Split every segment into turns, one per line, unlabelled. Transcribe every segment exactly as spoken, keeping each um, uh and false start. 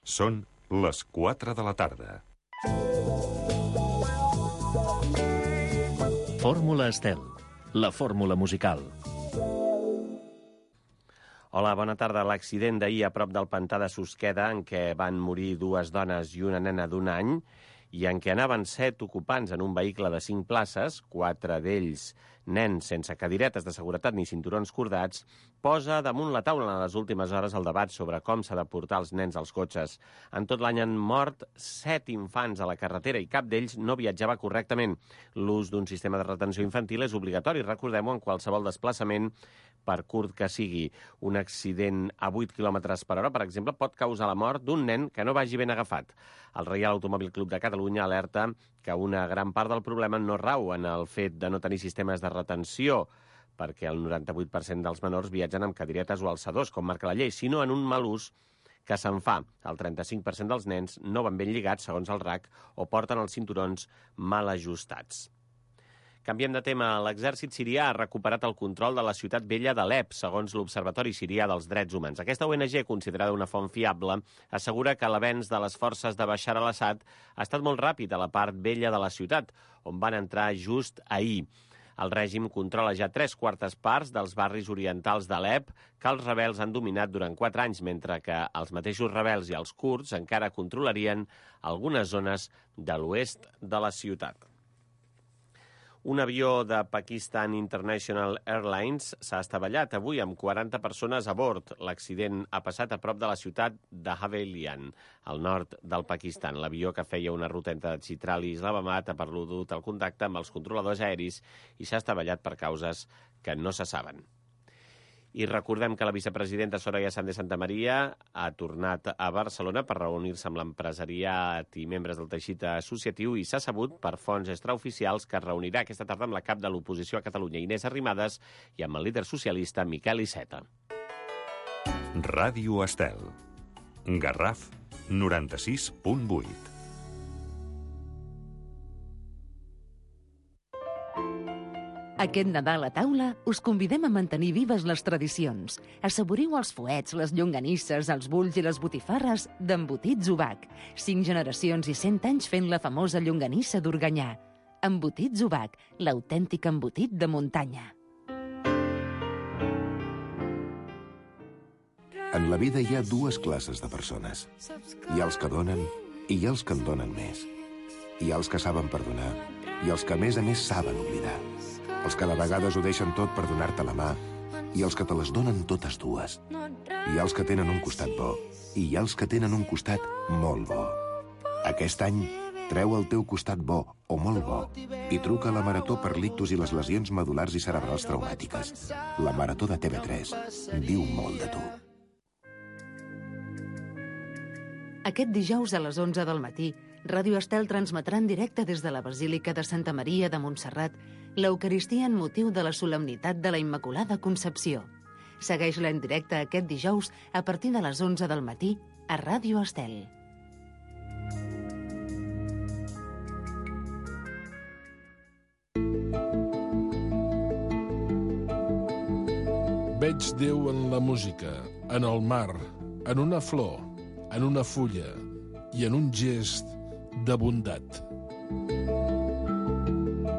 Són les quatre de la tarda.
Fórmula Estel, la fórmula musical.
Hola, bona tarda. L'accident d'ahir a prop del pantà de Susqueda, en què van morir dues dones i una nena d'un any, i en què anaven set ocupants en un vehicle de cinc places, quatre d'ells nens sense cadiretes de seguretat ni cinturons cordats, posa damunt la taula en les últimes hores el debat sobre com s'ha de portar els nens als cotxes. En tot l'any han mort set infants a la carretera i cap d'ells no viatjava correctament. L'ús d'un sistema de retenció infantil és obligatori, recordem-ho, en qualsevol desplaçament, per curt que sigui. Un accident a vuit quilòmetres per hora, per exemple, pot causar la mort d'un nen que no vagi ben agafat. El Reial Automòbil Club de Catalunya alerta que una gran part del problema no rau en el fet de no tenir sistemes de retenció, perquè el noranta-vuit per cent dels menors viatgen amb cadiretes o alçadors, com marca la llei, sinó en un mal ús que se'n fa. El trenta-cinc per cent dels nens no van ben lligats, segons el R A C, o porten els cinturons mal ajustats. Canviem de tema. L'exèrcit sirià ha recuperat el control de la ciutat vella d'Alep, segons l'Observatori Sirià dels Drets Humans. Aquesta O N G, considerada una font fiable, assegura que l'avenç de les forces de Bashar al-Assad ha estat molt ràpid a la part vella de la ciutat, on van entrar just ahir. El règim controla ja tres quartes parts dels barris orientals d'Alep, que els rebels han dominat durant quatre anys, mentre que els mateixos rebels i els kurds encara controlarien algunes zones de l'oest de la ciutat. Un avió de Pakistan International Airlines s'ha estavellat avui amb quaranta persones a bord. L'accident ha passat a prop de la ciutat de Havelian, al nord del Pakistan. L'avió, que feia una ruta entre Chitral i Islamabad, ha perdut el contacte amb els controladors aeris i s'ha estavellat per causes que no se saben. I recordem que la vicepresidenta Soraya Sáenz de Santamaría ha tornat a Barcelona per reunir-se amb l'empresariat i membres del teixit associatiu i s'ha sabut per fonts extraoficials que es reunirà aquesta tarda amb la cap de l'oposició a Catalunya, Inés Arrimadas, i amb el líder socialista Miquel Iceta.
Ràdio Estel. Garraf, noranta-sis punt vuit.
Aquest Nadal a taula us convidem a mantenir vives les tradicions. Assaboriu els fuets, les llonganisses, els bulls i les botifarres d'Embotits Ubac. Cinc generacions i cent anys fent la famosa llonganissa d'Organyà. Embotits Ubac, l'autèntic embotit de muntanya.
En la vida hi ha dues classes de persones. Hi ha els que donen i hi ha els que en donen més. Hi ha els que saben perdonar i els que a més a més saben oblidar. Els que de vegades ho deixen tot per donar-te la mà i els que te les donen totes dues. Hi ha els que tenen un costat bo i hi ha els que tenen un costat molt bo. Aquest any, treu el teu costat bo o molt bo i truca a la Marató per l'ictus i les lesions medul·lars i cerebrals traumàtiques. La Marató de T V tres diu molt de tu.
Aquest dijous a les onze del matí, Ràdio Estel transmetrà en directe des de la Basílica de Santa Maria de Montserrat l'Eucaristia en motiu de la solemnitat de la Immaculada Concepció. Segueix-la en directe aquest dijous a partir de les onze del matí a Ràdio Estel.
Veig Déu en la música, en el mar, en una flor, en una fulla i en un gest de bondat.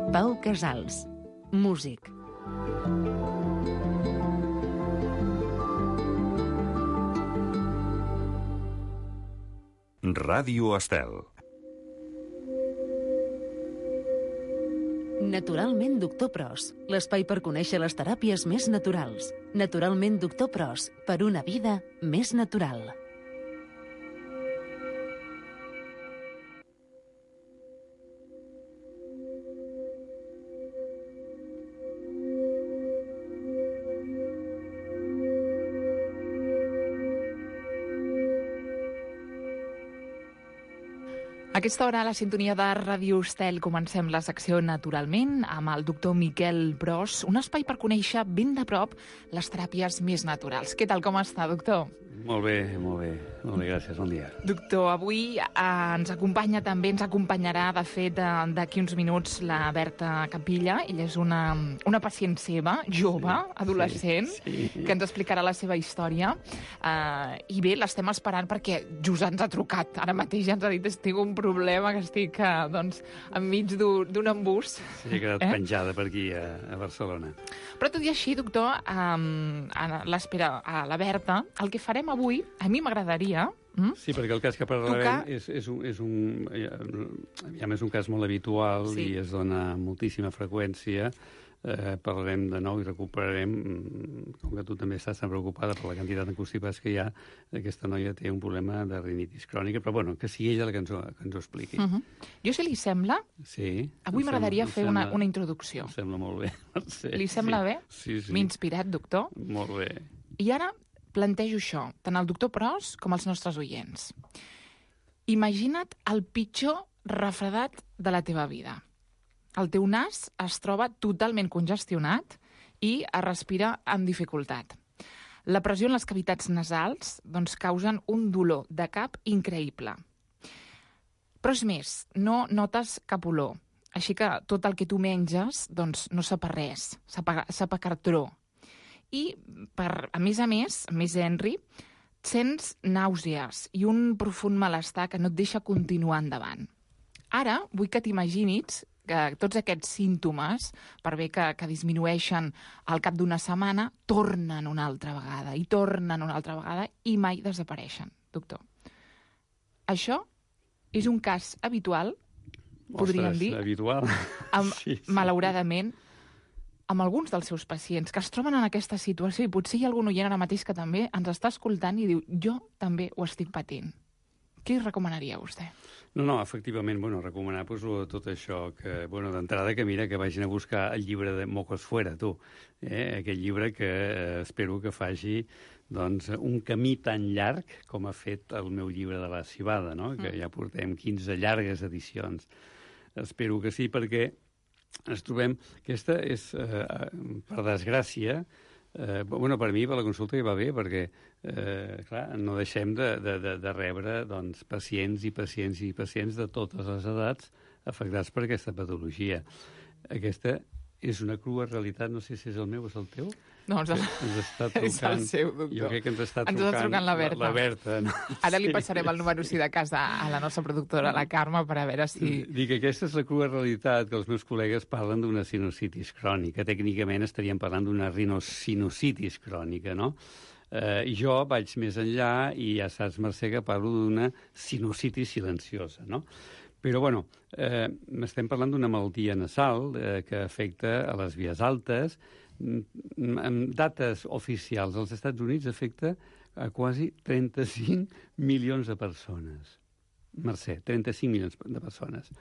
Pau Casals, músic.
Ràdio Estel.
Naturalment Doctor Pros, l'espai per conèixer les teràpies més naturals. Naturalment Doctor Pros, per una vida més natural.
A aquesta hora, a la sintonia de Ràdio Estel, comencem la secció Naturalment amb el doctor Miquel Pros, un espai per conèixer ben de prop les teràpies més naturals. Què tal, com està, doctor?
Molt bé, molt bé. Molt bé, gràcies, bon dia.
Doctor, avui eh, ens acompanya també, ens acompanyarà, de fet, eh, d'aquí uns minuts, la Berta Capilla. Ella és una, una pacient seva, jove, sí, adolescent, sí, sí. que ens explicarà la seva història. Eh, I bé, l'estem esperant perquè just ens ha trucat. Ara mateix ja ens ha dit que tinc un problema, que estic eh, doncs, enmig d'un embús.
Sí, he quedat eh? penjada per aquí, a, a Barcelona.
Però tot i així, doctor, eh, a l'espera a la Berta, el que farem avui, a mi m'agradaria... Mm?
Sí, perquè el cas que parlarem
Tocar...
és, és, un, és, un, ja, és un cas molt habitual sí. i es dona moltíssima freqüència. Eh, parlarem de nou i recuperarem, com que tu també estàs tan preocupada per la quantitat de constipats que hi ha, aquesta noia té un problema de rinitis crònica, però bueno, que sigui ella la que ens ho, que ens ho expliqui.
Uh -huh. Jo, si li sembla,
sí,
avui m'agradaria fer
sembla,
una, una introducció.
Em sembla molt bé. Sí,
li sembla
sí.
bé?
Sí, sí.
M'he inspirat, doctor.
Molt bé.
I ara plantejo això, tant al doctor Pros com als nostres oients. Imagina't el pitjor refredat de la teva vida. El teu nas es troba totalment congestionat i es respira amb dificultat. La pressió en les cavitats nasals doncs, causen un dolor de cap increïble. Però és més, no notes cap olor. Així que tot el que tu menges doncs, no sap a res, sap a, sap a cartró. I, per, a més a més, a més Henry, sents nàusees i un profund malestar que no et deixa continuar endavant. Ara vull que t'imaginis que tots aquests símptomes, per bé que, que disminueixen al cap d'una setmana, tornen una altra vegada, i tornen una altra vegada, i mai desapareixen, doctor. Això és un cas habitual, podríem
Ostres,
dir,
habitual.
amb,
sí, sí.
malauradament, amb alguns dels seus pacients que es troben en aquesta situació, i potser hi ha algun oient ara mateix que també ens està escoltant i diu, jo també ho estic patint. Què recomanaria vostè?
No, no, efectivament, bueno, recomanar pues, tot això, que, bueno, d'entrada que mira, que vagin a buscar el llibre de Mocos Fuera, tu, eh? Aquest llibre que eh, espero que faci doncs, un camí tan llarg com ha fet el meu llibre de la civada, no? Mm. Que ja portem quinze llargues edicions. Espero que sí, perquè ens trobem... Aquesta és, eh, per desgràcia, Eh, bueno, per mi, per la consulta, hi va bé, perquè, eh, clar, no deixem de, de, de, de rebre doncs, pacients i pacients i pacients de totes les edats afectats per aquesta patologia. Aquesta és una crua realitat, no sé si és el meu o és el teu.
No, ens,
ens està trucant,
és el seu, doctor.
Jo crec que ens està trucant,
ens està trucant la Berta.
La, la Berta no?
Ara li passarem el número, si de cas, a, a la nostra productora, la Carme, per a veure si...
Dic que aquesta és la crua realitat, que els meus col·legues parlen d'una sinusitis crònica. Tècnicament estaríem parlant d'una rinosinusitis crònica, no? Eh, jo vaig més enllà i ja saps, Mercè, que parlo d'una sinusitis silenciosa, no? Però, bueno, eh, estem parlant d'una malaltia nasal eh, que afecta a les vies altes. Amb dates oficials als Estats Units afecta a quasi trenta-cinc milions de persones. Mercè, trenta-cinc milions de persones.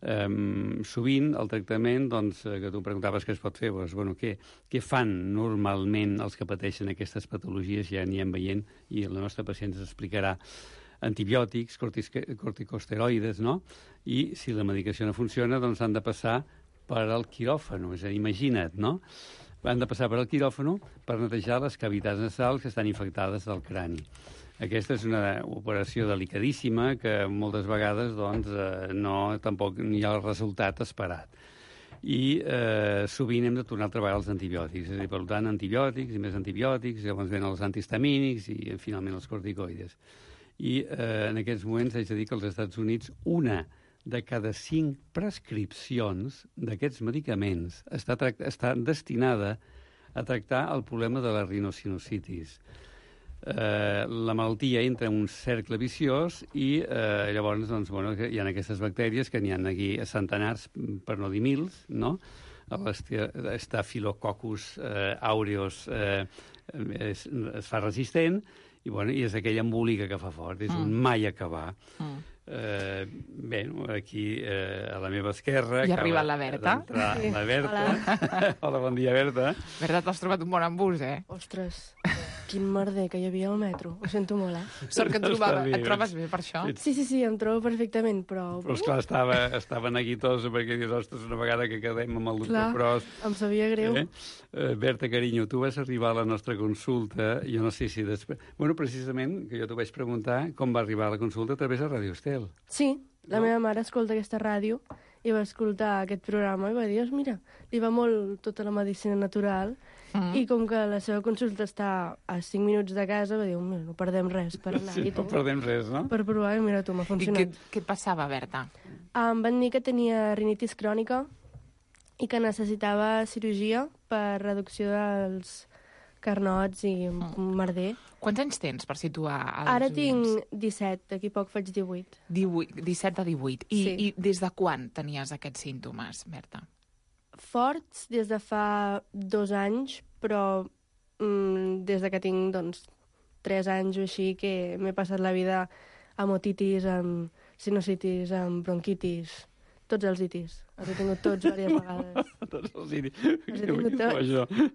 Um, sovint el tractament, doncs, que tu em preguntaves què es pot fer, doncs, bueno, què, què fan normalment els que pateixen aquestes patologies, ja n'hi hem veient, i el nostre pacient ens explicarà. Antibiòtics, corticosteroides, no? I si la medicació no funciona, doncs han de passar per al quiròfano, és a dir, imagina't, no? Han de passar per al quiròfano per netejar les cavitats nasals que estan infectades del crani. Aquesta és una operació delicadíssima que moltes vegades doncs, eh, no, tampoc hi ha el resultat esperat. I eh, sovint hem de tornar a treballar els antibiòtics, és a dir, per tant, antibiòtics i més antibiòtics, llavors venen els antihistamínics i finalment els corticoides. I eh, en aquests moments haig de dir que als Estats Units una de cada cinc prescripcions d'aquests medicaments està, està destinada a tractar el problema de la rinosinusitis. Eh, la malaltia entra en un cercle viciós i eh, llavors doncs, bueno, hi ha aquestes bactèries que n'hi ha aquí a centenars, per no dir mils, no? Staphylococcus eh, aureus eh, es, es fa resistent i, bueno, i és aquella embòlica que fa fort, és mm. un mai acabar. Mm. Eh, bé, aquí eh, a la meva esquerra...
I arriba la Berta.
Sí. La Berta. Hola. Hola, bon dia, Berta.
Berta, t'has trobat un bon embús, eh?
Ostres, quin merder que hi havia al metro. Ho sento molt, eh?
Sort que et, trobava, et trobes bé per això.
Sí, sí, sí, em trobo perfectament, però...
Però, esclar, estava, estava neguitosa perquè dius, ostres, una vegada que quedem amb el doctor
Clar,
Pros...
em sabia greu.
Eh? Uh, Berta, carinyo, tu vas arribar a la nostra consulta, jo no sé si després... Bueno, precisament, que jo t'ho vaig preguntar, com va arribar a la consulta a través de Radio Estel.
Sí, la
No?
meva mare escolta aquesta ràdio i va escoltar aquest programa i va dir, mira, li va molt tota la medicina natural mm. i com que la seva consulta està a cinc minuts de casa, va dir, mira, no perdem res per anar.
Sí,
I
no
tu,
perdem res, no?
per provar, i mira tu, m'ha
I què,
funcionat.
què et passava, Berta?
Em van dir que tenia rinitis crònica i que necessitava cirurgia per reducció dels carnots i merder.
Quants anys tens, per situar els
Ara
oients?
tinc disset, d'aquí poc faig divuit.
divuit, disset a divuit. I,
Sí.
I des de quan tenies aquests símptomes, Berta?
Forts des de fa dos anys, però mm, des de que tinc, doncs, tres anys o així, que m'he passat la vida amb otitis, amb sinusitis, amb bronquitis, tots els itis. Els he tingut tots diverses vegades.
Tots els iris.
Els he tingut tots.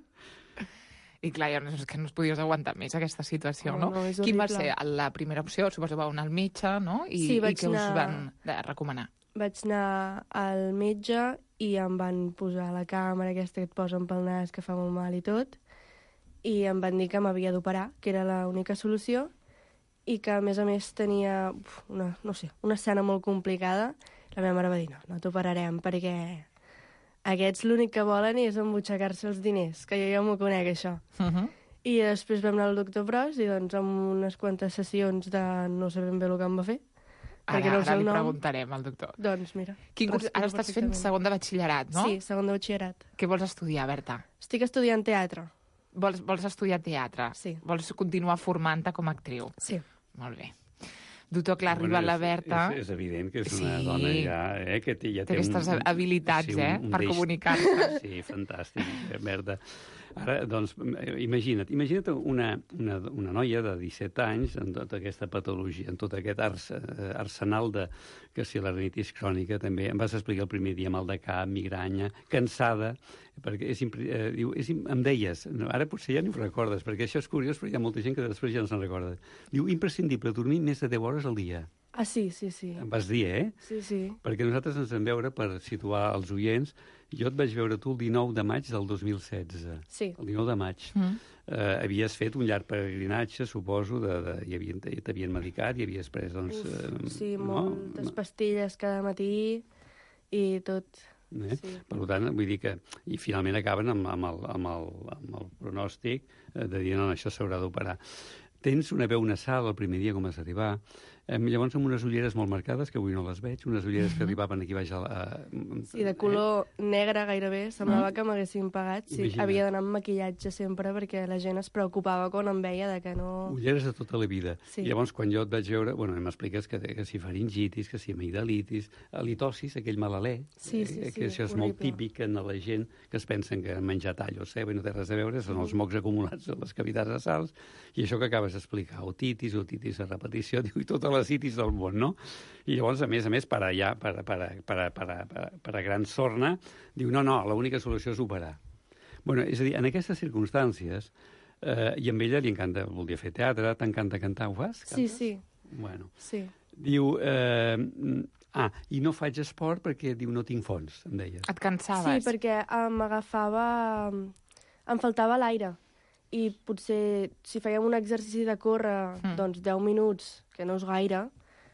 I clar, ja no, és que no es podies aguantar més aquesta situació,
No,
no?
no, és
Quin va
horrible.
ser la primera opció? Suposo que va anar al metge, no? I,
Sí,
i
vaig
què us
anar-
van eh, recomanar?
Vaig anar al metge i em van posar la càmera aquesta que et posen pel nas, que fa molt mal i tot, i em van dir que m'havia d'operar, que era l'única solució, i que, a més a més, tenia uf, una, no sé, una escena molt complicada. La meva mare va dir, no, no t'operarem, perquè aquests l'únic que volen és embutxacar-se els diners, que jo ja m'ho conec, això.
Uh -huh.
I després vam anar al doctor Pros i, doncs, amb unes quantes sessions de no sé ben bé el que em va fer,
Ara,
perquè no sé
ara
el
li
nom.
preguntarem al doctor.
Doncs, mira.
Quin curs... Ara
respiro
estàs fent
perfectament.
segon de batxillerat, no?
Sí, segon de batxillerat.
Què vols estudiar, Berta?
Estic estudiant teatre.
Vols, vols estudiar teatre?
Sí.
Vols continuar formant-te com a actriu?
Sí.
Molt bé. Doctor, clar, arriba la Berta...
És, és evident que és una
Sí.
dona ja, eh, que té, ja
Té
té
aquestes
un,
habilitats,
sí, un,
eh,
un
per
deix-
comunicar-se.
Sí, fantàstic, eh, Berta. Ara, doncs, imagina't, imagina't una, una, una noia de disset anys amb tota aquesta patologia, amb tot aquest ars, eh, arsenal de, que si la rinitis crònica també, em vas explicar el primer dia mal de cap, migranya, cansada, perquè és, impre- eh, diu, és, im- em deies, no, ara potser ja ni ho recordes, perquè això és curiós, però hi ha molta gent que després ja no se'n recorda. Diu, imprescindible dormir més de deu hores al dia.
Ah, sí, sí, sí.
Em vas dir, eh?
Sí, sí.
Perquè nosaltres ens vam veure, per situar els oients, jo et vaig veure tu el dinou de maig del dos mil setze.
Sí.
El dinou de maig.
Mm.
Eh, havies fet un llarg peregrinatge, suposo, de, de, i havien, t'havien medicat i havies pres, doncs...
Uf,
eh,
sí,
no?
moltes pastilles cada matí i tot.
Eh?
Sí.
Per tant, vull dir que... I finalment acaben amb, amb, el, amb, el, amb el pronòstic eh, de dir, no, això s'haurà d'operar. Tens una veu nasal el primer dia, com vas arribar. Eh, llavors, amb unes ulleres molt marcades, que avui no les veig, unes ulleres que arribaven aquí baix a... la- a
Sí, de color negre gairebé. Semblava que m'haguessin pagat. Sí,
Imagina't.
havia d'anar amb maquillatge sempre perquè la gent es preocupava quan em veia de que no...
Ulleres de tota la vida.
Sí.
I llavors, quan jo et vaig veure, bueno, m'expliques que, que si faringitis, que si amigdalitis, halitosis, aquell malalè,
Sí, sí,
eh,
sí,
que això és molt
horrible.
típic en la gent que es pensen que han menjat all o ceba i no té res a veure, són els mocs acumulats a les cavitats nasals, i això que acabes d'explicar, otitis, otitis a repetició, diu, i totes les itis del món, no? I llavors, a més a més, per allà, per, per, per, per, per, per a gran sorna, diu, no, no, l'única solució és operar. Bueno, és a dir, en aquestes circumstàncies, eh, i amb ella li encanta, volia fer teatre, t'encanta cantar, ho fas?
Sí,
Cantes?
sí,
Bueno,
sí.
diu, eh, ah, i no faig esport perquè, diu, no tinc fons, em deies.
Et cansaves?
Sí, perquè eh, m'agafava... Em faltava l'aire. I potser, si fèiem un exercici de córrer,
Mm.
doncs deu minuts, que no és gaire,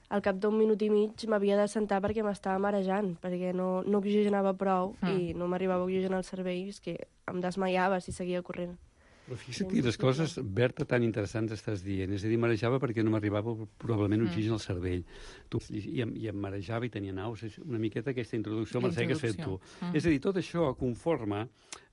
al cap d'un minut i mig m'havia de sentar perquè m'estava marejant, perquè no, no oxigenava prou
Mm.
i no m'arribava a oxigenar el cervell, és que em desmaiava si seguia corrent.
Però fixa't quines coses, Berta, tan interessants estàs dient. És a dir, marejava perquè no m'arribava probablement oxigen al cervell. Tu, i, i, em, I em marejava i tenia naus. És una miqueta aquesta introducció,
La
Mercè, que has fet tu.
introducció. Mm.
És a dir, tot això conforma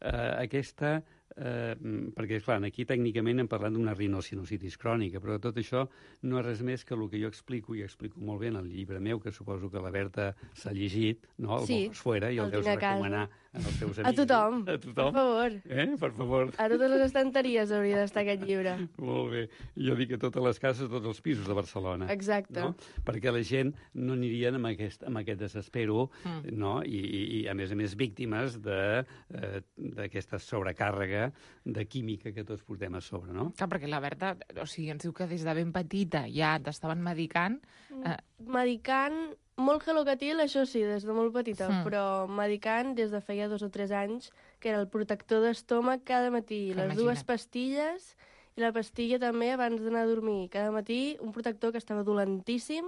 eh, aquesta... Eh, perquè, clar, aquí tècnicament hem parlat d'una rinosinusitis crònica, però tot això no és res més que el que jo explico, i explico molt bé en el llibre meu, que suposo que la Berta s'ha llegit, no? El
Sí,
Bojos Fuera, i el,
el
deus
tinc a casa.
recomanar en els teus
A
amics.
tothom,
A tothom.
per favor.
Eh? Per favor.
A totes les estanteries hauria d'estar aquest llibre.
Molt bé. Jo dic a totes les cases, a tots els pisos de Barcelona.
Exacte.
No? Perquè la gent no anirien amb aquest, amb aquest desespero, mm. no? I, i, i, a més a més, víctimes d'aquesta eh, sobrecàrrega de química que tots portem a sobre, no?
Clar, perquè la Berta, o sigui, ens diu que des de ben petita ja t'estaven medicant. Eh...
Medicant, molt Gelocatil, això sí, des de molt petita,
Mm.
però medicant des de feia dos o tres anys, que era el protector d'estómac cada matí, les
Imagina't.
dues pastilles, i la pastilla també abans d'anar a dormir. Cada matí un protector que estava dolentíssim,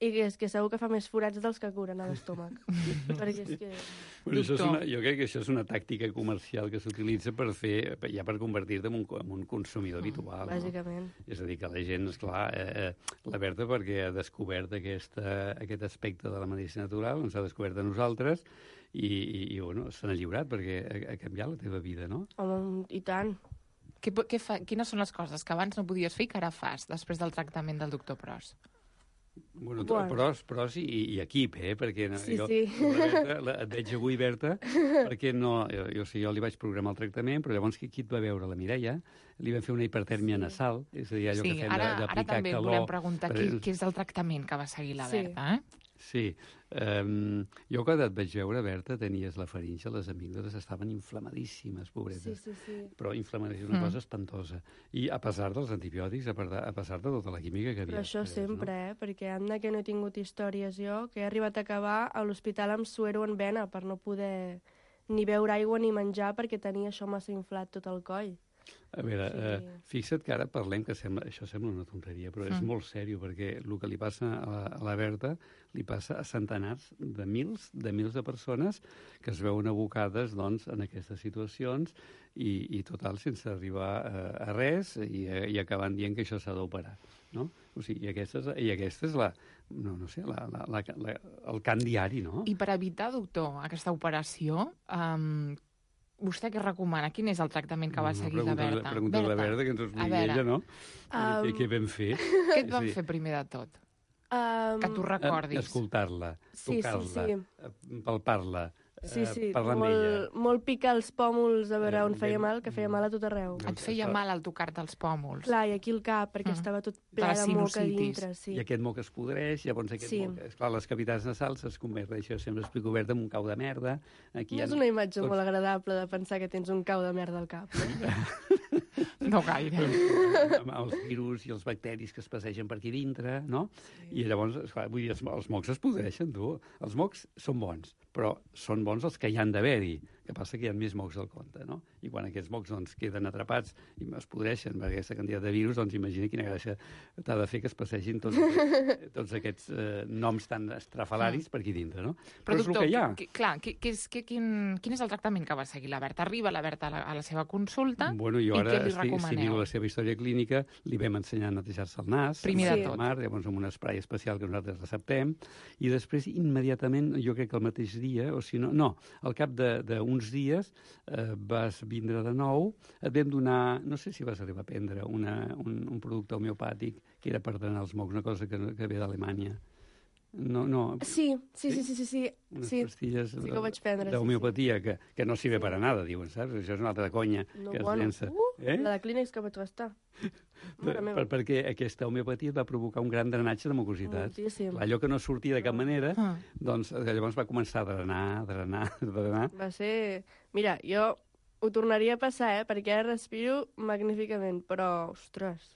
i que és que segur que fa més forats dels que curen a l'estómac. Perquè és que...
Bueno, això és una, jo crec que això és una tàctica comercial que s'utilitza per fer, ja per convertir-te en un, en un consumidor habitual.
Bàsicament.
No? És a dir, que la gent, esclar, eh, eh, la Berta perquè ha descobert aquesta, aquest aspecte de la medicina natural, ens ha descobert a nosaltres, i, i, i bueno, se n'ha lliurat perquè ha, ha canviat la teva vida, no?
Home, i tant.
Què, què fa, quines són les coses que abans no podies fer i que ara fas, després del tractament del doctor Pros?
Bueno,
Bueno.
pros, pros i, i equip, eh? Perquè no,
Sí,
jo,
sí.
La Berta, la, et veig avui, Berta, perquè no, jo, jo, sí, jo li vaig programar el tractament, però llavors qui, qui et va veure? La Mireia, li van fer una hipertèrmia sí. nasal, és a dir, allò
Sí,
que fem
ara,
d'aplicar
ara també
calor.
volem preguntar
per-
què, què és el tractament que va seguir la
Sí.
Berta, eh?
Sí. Um, jo quan et vaig veure, Berta, tenies la faringe, les amígdales estaven inflamadíssimes,
Sí,
pobretes.
sí, sí.
Però inflamadíssimes, una
Mm.
cosa espantosa. I a pesar dels antibiòtics, a pesar, a pesar de tota la química que havia.
Però això
pres,
sempre,
no?
eh? Perquè anda que no he tingut històries jo, que he arribat a acabar a l'hospital amb suero en vena per no poder ni beure aigua ni menjar perquè tenia això massa inflat tot el coll.
A veure,
Sí.
eh, fixa't que ara parlem, que sembla, això sembla una tonteria, però és
Mm.
molt sèrio, perquè el que li passa a la, a la Berta li passa a centenars de mils de mils de persones que es veuen abocades doncs, en aquestes situacions i, i total, sense arribar a, a res i, i acabant dient que això s'ha d'operar. No? O sigui, i aquesta és, i aquesta és la, no, no sé, la, la, la, la, el cant diari, no?
I per evitar, doctor, aquesta operació, um, vostè què recomana? Quin és el tractament que va seguir la Berta?
Pregunta a la Berta, que ens ho
a
expliqui
veure,
ella, no?
Um,
Què, què vam fer?
Què et
És a
van
dir,
fer primer de tot?
Um,
Que tu recordis.
Eh, Escoltar-la,
Sí, sí,
tocar-la,
sí.
eh, palpar-la,
Sí, sí,
eh, parlar amb ella.
molt, molt picar els pòmuls a veure
Eh,
on feia
ben-
mal, que feia mal a tot arreu.
Doncs
Et feia
això-
mal al tocar-te els pòmuls?
Clar, i aquí el cap, perquè
Mm.
estava tot
De la
ple de moc a
sinusitis.
dintre. Sí.
I aquest moc es podreix, llavors aquest
Sí.
moc... Esclar, les cavitats nasals es converteixen, sempre explico obert, en un cau de merda. Aquí
No
hi ha
és una imatge
tots-
molt agradable de pensar que tens un cau de merda al cap. Eh?
No gaire.
amb els virus i els bacteris que es passegen per aquí dintre, no? Sí. I llavors, esclar, vull dir, els, els mocs es podreixen, tu. Els mocs són bons, però són bons els que hi han d'haver-hi. Que passa que hi ha més mocs al compte, no? I quan aquests mocs doncs, queden atrapats i es podreixen per aquesta quantitat de virus, doncs imagina quina gràcia t'ha de fer que es passegin tots aquests, tots aquests eh, noms tan estrafalaris per aquí dintre, no?
Però,
és el
doctor,
que hi ha.
qui- clar, qui, qui és, qui, quin, quin és el tractament que va seguir la Berta? Arriba la Berta a la, a la seva consulta
Bueno, jo
i
ara,
què li
estic, si
recomaneu?
miro la seva història clínica, li vam ensenyar a netejar-se el nas,
Primer
de
amb
tot.
el mar, llavors amb un spray especial que nosaltres receptem, i després, immediatament, jo crec que el mateix dia, o si no, no, al cap d'uns dies, eh, vas vindre de nou, et vam donar, no sé si vas arribar a prendre, una, un, un producte homeopàtic que era per drenar els mocs, una cosa que, que ve d'Alemanya. No, no,
Sí, sí, sí, sí, sí, sí.
unes
sí.
pastilles
sí que ho vaig prendre, sí,
d'homeopatia que, que no sirve
Sí.
per a nada, diuen, saps? Això és una altra conya
No,
que es
bueno,
llença.
uh,
eh?
la de clínex que vaig gastar.
Per,
Mare meva.
per, perquè aquesta homeopatia et va provocar un gran drenatge de mucositat.
Moltíssim.
Allò que no sortia de cap manera,
Ah.
doncs eh, llavors va començar a drenar, a drenar, a drenar.
Va ser... Mira, jo ho tornaria a passar, eh? Perquè ara respiro magníficament, però, ostres,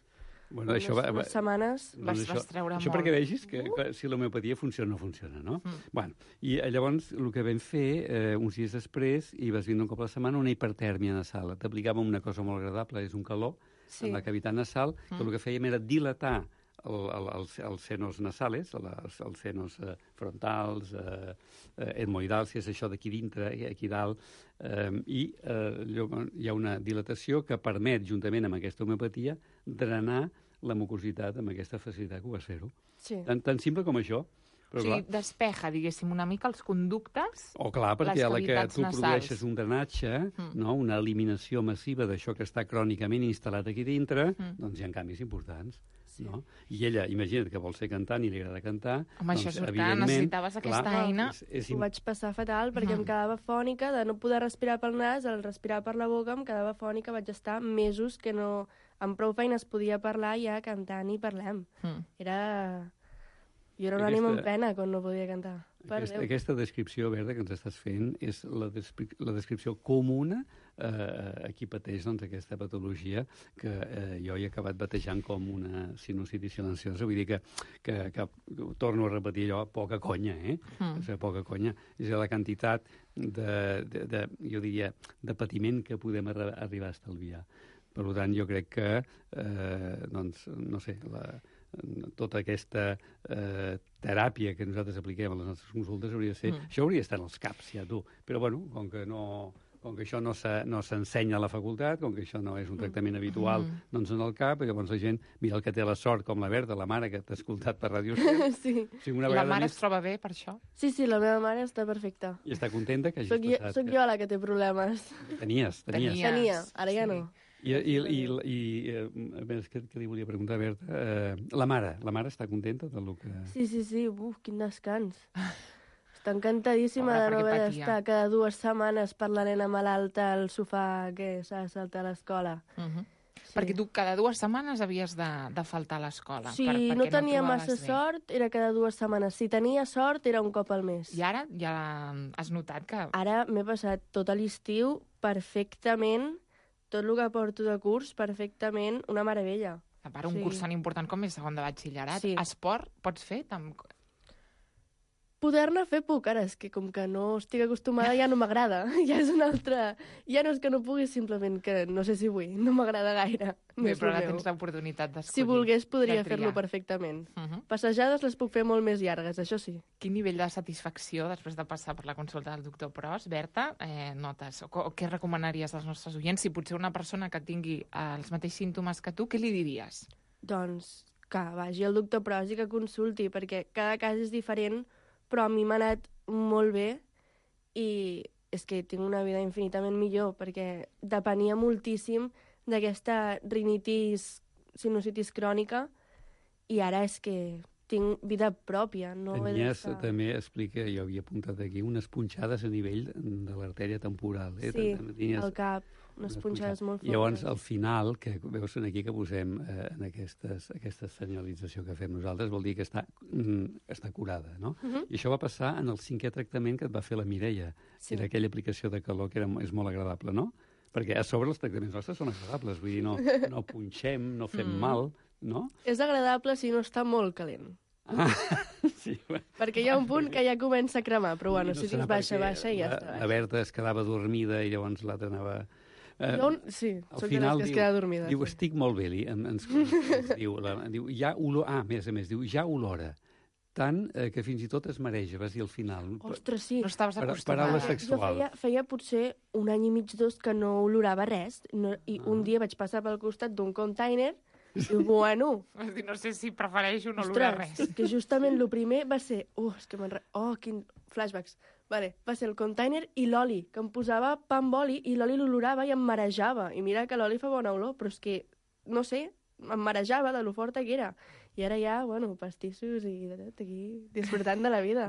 Bueno,
unes,
això va, va,
unes setmanes...
Vas-
doncs
vas treure
això
molt.
perquè vegis que, que si l'homeopatia funciona o no funciona, no?
Mm.
Bueno, i eh, llavors el que vam fer, eh, uns dies després, i vas vindre un cop a la setmana, una hipertèrmia nasal. T'aplicàvem una cosa molt agradable, és un calor,
Sí.
en la cavitat nasal, que
Mm.
el que fèiem era dilatar el, el, els, els senos nasales, els, els senos eh, frontals, eh, eh, etmoidals, si és això d'aquí dintre, eh, aquí dalt, eh, i eh, llavors hi ha una dilatació que permet, juntament amb aquesta homeopatia, drenar la mucositat amb aquesta facilitat que ho vas fer-ho.
Sí.
Tan, tan simple com això.
O
Però,
sigui,
clar,
despeja, diguéssim, una mica els conductes.
o clar, perquè
les
a la que
cavitats
tu
nasals.
produeixes un drenatge,
Mm.
no, una eliminació massiva d'això que està crònicament instal·lat aquí dintre,
Mm.
doncs hi ha canvis importants. Sí. No? I ella, imagina't que vol ser cantant i li agrada cantar.
Home,
doncs,
això surt clar, necessitaves aquesta
clar,
eina.
És, és
Ho vaig passar fatal perquè mm. em quedava fònica de no poder respirar pel nas, al respirar per la boca em quedava fònica, vaig estar mesos que no... Amb prou feines podia parlar ja cantant i parlem. Mm. Era... Jo era un ànim en pena quan no podia cantar.
Aquesta, aquesta descripció, Berta, que ens estàs fent és la, descri la descripció comuna eh, a qui pateix doncs, aquesta patologia que eh, jo he acabat batejant com una sinusitis silenciosa. Vull dir que, que, que torno a repetir allò, poca conya, eh? Mm. O sigui, poca conya. És la quantitat de, de, de, jo diria, de patiment que podem arri arribar a estalviar. Per tant, jo crec que, eh, doncs, no sé, la, tota aquesta eh, teràpia que nosaltres apliquem a les nostres consultes hauria de ser... Mm. Això hauria d'estar en els caps, ja, tu. Però, bueno, com que no... com que això no s'ensenya no a la facultat, com que això no és un tractament habitual, mm. doncs en el cap, i llavors la gent, mira el que té la sort, com la Berta, la mare que t'ha escoltat per Ràdio Estel.
Sí.
O sigui, una
la mare
més...
es troba bé per això?
Sí, sí, la meva mare està perfecta.
I està contenta que hagis
soc
passat...
Jo, soc jo la que té problemes.
Tenies, tenies.
Tenies. Tenia, ara ja
sí.
no.
I, i, i, i eh, a més, què, què li volia preguntar, Berta? Eh, la mare, la mare està contenta del que...
Sí, sí, sí, uf, quin descans. Està encantadíssima
Pobre,
de no haver
patia.
d'estar cada dues setmanes per la nena malalta al sofà que s'ha de saltar a l'escola.
Uh -huh.
Sí.
Perquè tu cada dues setmanes havies de, de faltar a l'escola.
Si
per,
no tenia
no
massa
bé.
sort, era cada dues setmanes. Si tenia sort, era un cop al mes.
I ara ja has notat que...
Ara m'he passat tot l'estiu perfectament, tot el que porto de curs, perfectament, una meravella.
A part, un
sí.
curs tan important com és segon de batxillerat.
Sí.
Esport pots fer? Tam...
Poder-ne fer puc, ara, és que com que no estic acostumada ja no m'agrada. Ja és una altra... Ja no és que no pugui, simplement que no sé si vull. No m'agrada gaire. No
Bé,
és
però
el
ara
meu.
tens l'oportunitat d'escollir.
Si volgués, podria
de triar.
fer-lo perfectament.
Uh -huh.
Passejades les puc fer molt més llargues, això sí.
Quin nivell de satisfacció, després de passar per la consulta del doctor Pros, Berta, eh, notes? O, o què recomanaries als nostres oients? Si potser una persona que tingui eh, els mateixos símptomes que tu, què li diries?
Doncs que vagi al doctor Pros i que consulti, perquè cada cas és diferent, però a mi m'ha anat molt bé i és que tinc una vida infinitament millor, perquè depenia moltíssim d'aquesta rinitis, sinusitis crònica, i ara és que tinc vida pròpia. No
Tenies, també, explica, jo havia apuntat aquí, unes punxades a nivell de l'artèria temporal. Eh?
Sí,
Tenies
al cap, unes punxades molt fortes.
Llavors, al final, que veus aquí que posem eh, en aquestes, aquesta senyalització que fem nosaltres, vol dir que està, mm, està curada, no? Uh -huh. I això va passar en el cinquè tractament que et va fer la Mireia, sí. que era aquella aplicació de calor que era, és molt agradable, no? Perquè a sobre els tractaments nostres són agradables, vull dir, no, no punxem, no fem mm. mal, no?
És agradable si no està molt calent.
Ah, sí, bueno.
Perquè hi ha un punt que ja comença a cremar, però bueno,
no
si tens baixa, baixa i ja
la,
està.
La Berta es quedava dormida i llavors l'altra anava...
Eh, jo, sí, soc de les que es queda dormida.
Diu,
sí.
estic molt bé, li, ens, ens diu, la, diu, ja olor... Ah, a més a més, diu, ja olora. Tant eh, que fins i tot es mareja, vas dir al final.
Ostres, sí.
No estaves acostumada.
Paraula sexual.
Jo feia, feia potser un any i mig, dos, que no olorava res, no, i ah. un dia vaig passar pel costat d'un container i, bueno...
No sé si prefereixo no olorar res.
Ostres, que justament el primer va ser... Oh, és que m'enre... Oh, quin flashbacks. Vale, va ser el container i l'oli, que em posava pa amb oli i l'oli l'olorava i em marejava. I mira que l'oli fa bona olor, però és que, no sé, em marejava de lo forta que era. I ara ja, bueno, pastissos i de tot aquí, disfrutant de la vida.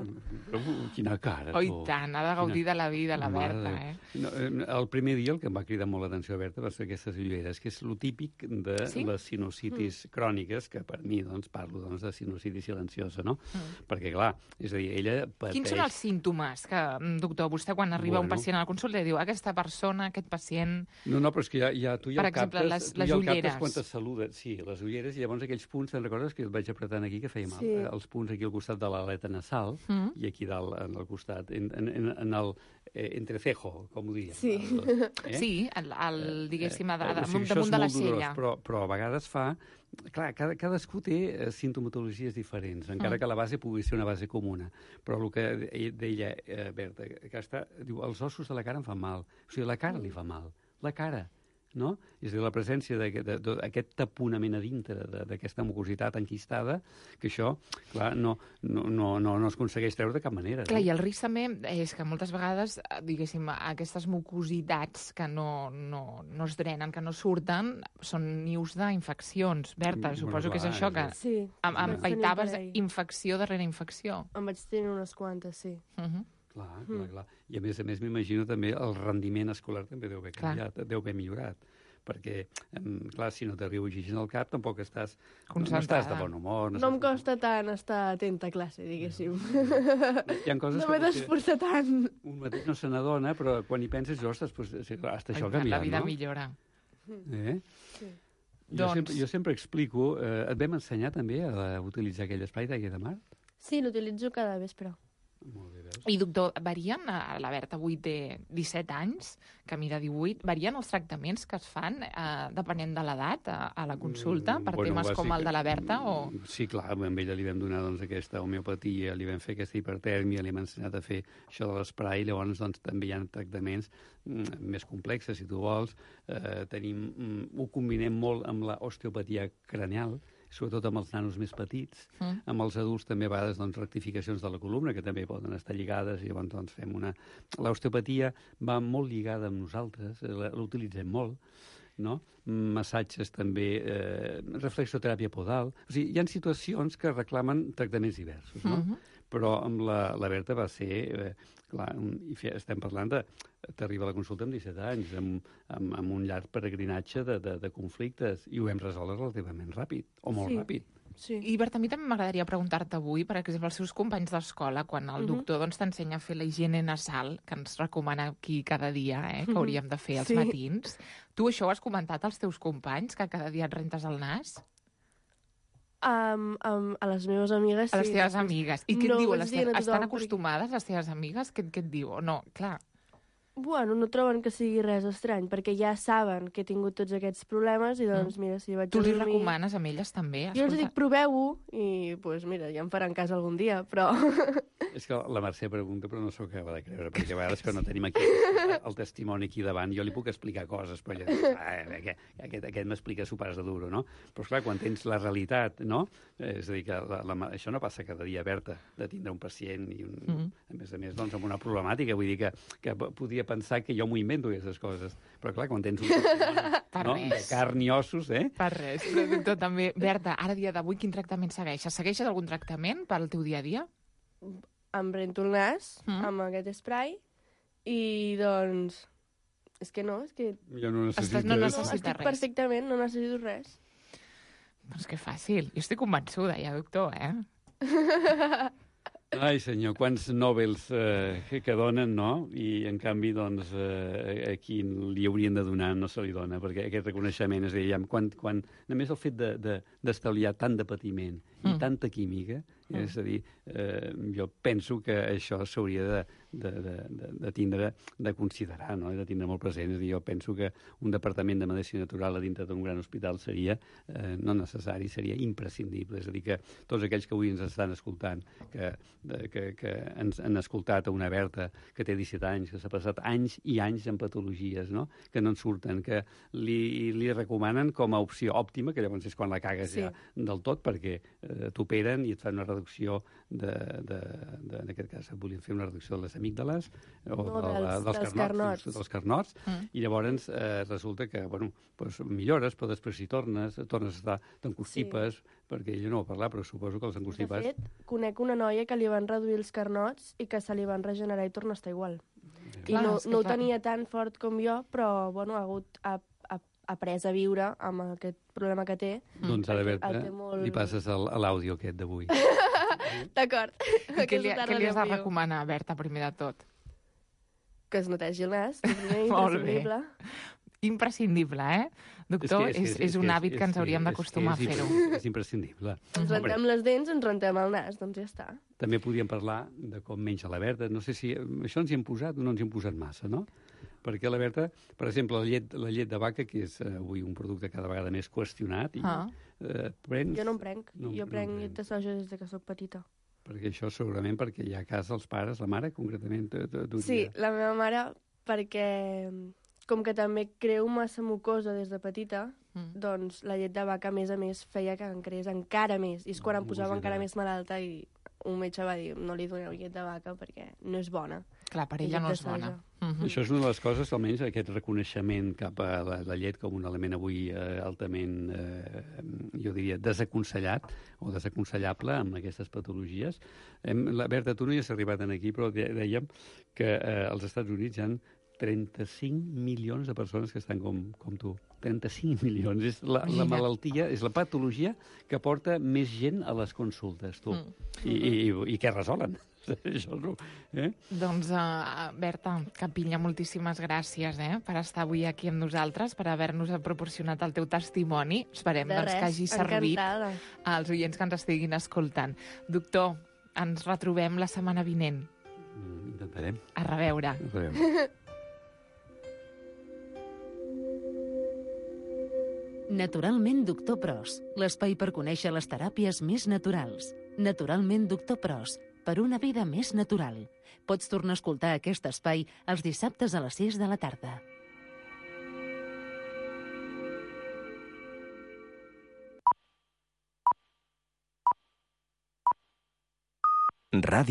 Però quina cara,
tu. Oh, i tant, ha de gaudir quina... de la vida, la Berta, eh?
No, el primer dia el que em va cridar molt l'atenció, Berta, va ser aquestes ulleres, que és lo típic de sí? les sinusitis mm. cròniques, que per mi, doncs, parlo doncs, de sinusitis silenciosa, no? Mm. Perquè, clar, és a dir, ella pateix...
Quins són els símptomes que, doctor, vostè quan arriba bueno. un pacient a la consulta diu aquesta persona, aquest pacient...
No, no, però és que ja, ja tu ja
per
el captes...
Per exemple, les, les
ja
ulleres.
Quan te saluda, sí, les ulleres, i llavors aquells punts, te'n recordes que et vaig apretant aquí que feia mal?
Sí.
Eh, els punts aquí al costat de l'aleta nasal mm. i aquí dalt, en el costat, en, en, en el eh, entrecejo, com ho diríem.
Sí,
el, eh?
sí el, el, diguéssim, eh, eh,
o sigui,
damunt de la sella.
Dolorós, però, però a vegades fa... Clar, cada, cadascú té sintomatologies diferents, encara mm. que la base pugui ser una base comuna. Però el que deia eh, Berta, que està, diu, els ossos de la cara em fan mal. O sigui, la cara li fa mal. La cara. no? És a dir, la presència d'aquest taponament a dintre d'aquesta mucositat enquistada, que això, clar, no, no, no, no, no es aconsegueix treure de cap manera.
Clar,
no?
I el risc també és que moltes vegades, diguéssim, aquestes mucositats que no, no, no es drenen, que no surten, són nius d'infeccions. Berta,
Bueno,
suposo que és
clar,
això, que
Sí,
em, em
vaig tenir un
paitaves
parell.
infecció darrere infecció.
En vaig tenir unes quantes, sí.
Uh -huh.
Clar, clar, clar. I a més a més m'imagino també el rendiment escolar també deu haver canviat, deu haver millorat. Perquè, em, clar, si no t'arriba oxigen al cap, tampoc estàs, no, no estàs de bon humor.
No,
No,
em costa tant estar atenta a classe, diguéssim.
Hi ha coses
No
que
m'he
potser
d'esforçar tant.
un mateix no se n'adona, però quan hi penses, ostres, pues, sí, clar, hasta això ha canviat,
La vida
no?
millora.
Eh?
Sí.
Jo,
Doncs-
sempre, jo sempre explico... Eh, et vam ensenyar també a utilitzar aquell espai d'aigua de mar?
Sí, l'utilitzo cada vespre.
Molt bé, veus?
I, doctor, varien, eh, la Berta avui té disset anys, Camí de divuit, varien els tractaments que es fan eh, depenent de l'edat a, a la consulta, per
Mm, bueno,
temes com
bàsic-
el de la Berta? O...
Sí, clar, a ella li vam donar doncs, aquesta homeopatia, li vam fer aquesta hipertèrmia, li hem ensenyat a fer això de l'esprai, llavors doncs, també hi ha tractaments mm, més complexes, si tu vols. Eh, tenim, mm, ho combinem molt amb l'osteopatia craneal, sobretot amb els nanos més petits.
Mm.
Amb els adults també a vegades doncs, rectificacions de la columna, que també poden estar lligades, i llavors doncs, fem una... L'osteopatia va molt lligada amb nosaltres, eh, la- l'utilitzem molt, no? Massatges també, eh, reflexoteràpia podal... O sigui, hi ha situacions que reclamen tractaments diversos, no?
Mhm.
Però amb la, la Berta va ser... Eh, clar, un, i fe, estem parlant de... T'arriba a la consulta amb disset anys, amb, amb, amb un llarg peregrinatge de, de, de conflictes, i ho hem resolt relativament ràpid, o molt
Sí.
ràpid.
Sí.
I, Berta, a mi també m'agradaria preguntar-te avui, per exemple, els seus companys d'escola, quan el
Mhm.
doctor doncs, t'ensenya a fer la higiene nasal, que ens recomana aquí cada dia, eh, que hauríem de fer als
Sí.
matins. Tu això ho has comentat als teus companys, que cada dia et rentes el nas?
Um, um, a les meves amigues,
A les
sí.
teves
després
amigues. I què
no
et diuen?
vaig
Les
dient
teves...
a
Estan
tothom perquè-
acostumades, les teves amigues? Què, què et diu? No, clar.
Bueno, no troben que sigui res estrany, perquè ja saben que he tingut tots aquests problemes i doncs, mira, si vaig
Tu
a
li
dormir...
recomanes a elles també?
Jo els
Escolta,
dic, proveu-ho, i doncs, pues, mira, ja em faran cas algun dia, però...
És que la Mercè pregunta, però no s'ho acaba de creure, perquè a vegades que no tenim aquí el testimoni aquí davant, jo li puc explicar coses, però ella diu, ah, aquest, aquest, aquest m'explica su pares de duro, no? Però, esclar, quan tens la realitat, no? És a dir, que la, la, això no passa cada dia, Berta, de tindre un pacient i, un, mm -hmm. a més a més, doncs, amb una problemàtica. Vull dir que, que podia pensar que jo m'ho invento, aquestes coses. Però, clar, quan tens un testimoni no? de carn i ossos, eh?
Per res. Però, doctor, també, Berta, ara dia d'avui quin tractament segueixes? Segueixes algun tractament pel teu dia a dia?
Em rento el nas
Mm.
amb aquest spray i, doncs... És que no, és que...
Jo no necessito...
Estàs- no
No,
necessites
estic
res.
perfectament, no necessito res.
Doncs que fàcil. Jo estic convençuda, ja, doctor, eh?
Ai, senyor, quants Nobels eh, que, que donen, no? I, en canvi, doncs, eh, a qui li haurien de donar no se li dona, perquè aquest reconeixement, és a dir, ja, quan, quan, només el fet d'estalviar de, de, tant de patiment i
Mm.
tanta química, mm. és a dir, eh, jo penso que això s'hauria de, de, de, de, de tindre, de considerar, no? De tindre molt present. És a dir, jo penso que un departament de medicina natural a dintre d'un gran hospital seria, eh, no necessari, seria imprescindible. És a dir, que tots aquells que avui ens estan escoltant, que, de, que, que ens han escoltat a una Berta que té disset anys, que s'ha passat anys i anys en patologies, no? Que no en surten, que li, li recomanen com a opció òptima, que llavors és quan la cagues
Sí.
ja del tot, perquè eh, t'operen i et fan una reducció de, de, de, en aquest cas volien fer una reducció de les amígdales o
No,
de,
dels-
dels,
dels
carnots,
carnots.
dels carnots,
Mm.
i llavors eh, resulta que, bueno, pues millores, però després si tornes, tornes a estar, t'encostipes, perquè ella no va parlar, però suposo que els
De
encostipes...
fet, conec una noia que li van reduir els carnots i que se li van regenerar i torna a estar igual. I
Clar,
no,
és que
no ho
clar.
tenia tan fort com jo, però bueno, ha hagut ha, ha, après a viure amb aquest problema que té.
Doncs ara,
Perquè
Berta,
el té molt-
li passes el- a l'àudio aquest d'avui.
D'acord.
I què li,
Aquesta
què li has de
tarda l'envio.
recomanar, Berta, primer de tot?
Que es netegi el nas, que primer
Molt bé.
imprescindible.
Imprescindible, eh? Doctor, és, és, és, un hàbit que, ens hauríem d'acostumar a
és-
fer-ho.
És, és imprescindible.
Ens
Hombre,
rentem les dents, ens rentem el nas, doncs ja està.
també podríem parlar de com menja la Berta. No sé si això ens hi hem posat o no ens hi hem posat massa, no? Perquè la Berta, per exemple, la llet, la llet de vaca, que és eh, avui un producte cada vegada més qüestionat, i,
Ah.
eh, prens...
Jo no em prenc.
No,
jo
no
prenc
en
llet de soja des de que sóc petita.
Perquè això segurament perquè hi ha a casa els pares, la mare concretament, t- t- duria.
Sí, la meva mare, perquè com que també creu massa mucosa des de petita,
Mm.
doncs la llet de vaca, a més a més, feia que em creés encara més. I és quan em posava
Mucositat.
encara més malalta i un metge va dir no li doneu llet de vaca perquè no és bona.
Clar, per
I
ella
llet
no
de
és bona.
soja.
Mhm.
Això és una de les coses, almenys aquest reconeixement cap a la, la llet com un element avui eh, altament, eh, jo diria, desaconsellat o desaconsellable amb aquestes patologies. Hem, la Berta, tu no hi has arribat en aquí, però de- dèiem que eh, als Estats Units hi ha trenta-cinc milions de persones que estan com, com tu. trenta-cinc milions. És la, la
Imagina't.
malaltia, és la patologia que porta més gent a les consultes, tu.
Mm.
I, i, I què resolen? Això és el- eh?
Doncs, uh, Berta Capilla, moltíssimes gràcies eh, per estar avui aquí amb nosaltres, per haver-nos proporcionat el teu testimoni. Esperem
De
doncs,
res,
que hagi servit
encantada.
als oients que ens estiguin escoltant. Doctor, ens retrobem la setmana vinent.
Mm, Intentarem.
A reveure.
Intentarem.
Naturalment Doctor Pros, l'espai per conèixer les teràpies més naturals. Naturalment Doctor Pros, per una vida més natural. Pots tornar a escoltar aquest espai els dissabtes a les sis de la tarda.
Ràdio